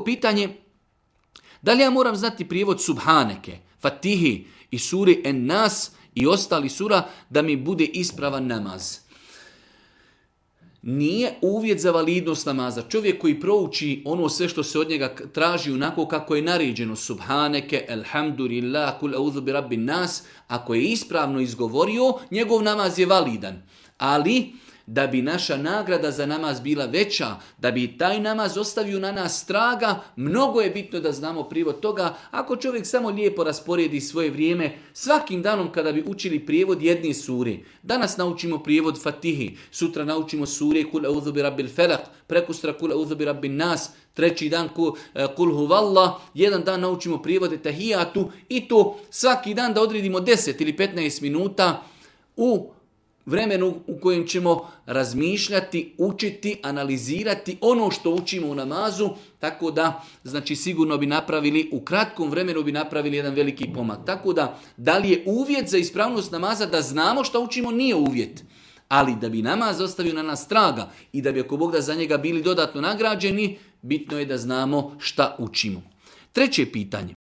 pitanje, da li ja moram znati prijevod Subhaneke, Fatihi i suri En-Nas i ostali sura da mi bude ispravan namaz? Nije uvjet za validnost namaza. Čovjek koji prouči ono sve što se od njega traži onako kako je naređeno, Subhaneke, Elhamdulillah, Kul auzu bi rabbin nas, ako je ispravno izgovorio, njegov namaz je validan. Ali da bi naša nagrada za namaz bila veća, da bi taj namaz ostavio na nas traga, mnogo je bitno da znamo prijevod toga. Ako čovjek samo lijepo rasporedi svoje vrijeme, svakim danom kada bi učili prijevod jedne sure, danas naučimo prijevod Fatihi, sutra naučimo sure Kul auzu bi rabbil felak, prekustra Kul auzu bi rabbin nas, treći dan Kul huvallah, jedan dan naučimo prijevode Tahijatu i to svaki dan da odredimo 10 ili 15 minuta u vremenu u kojem ćemo razmišljati, učiti, analizirati ono što učimo u namazu, tako da znači sigurno bi napravili, u kratkom vremenu bi napravili jedan veliki pomak. Tako da li je uvjet za ispravnost namaza da znamo što učimo? Nije uvjet. Ali da bi namaz ostavio na nas traga i da bi ako Bog da za njega bili dodatno nagrađeni, bitno je da znamo šta učimo. Treće pitanje.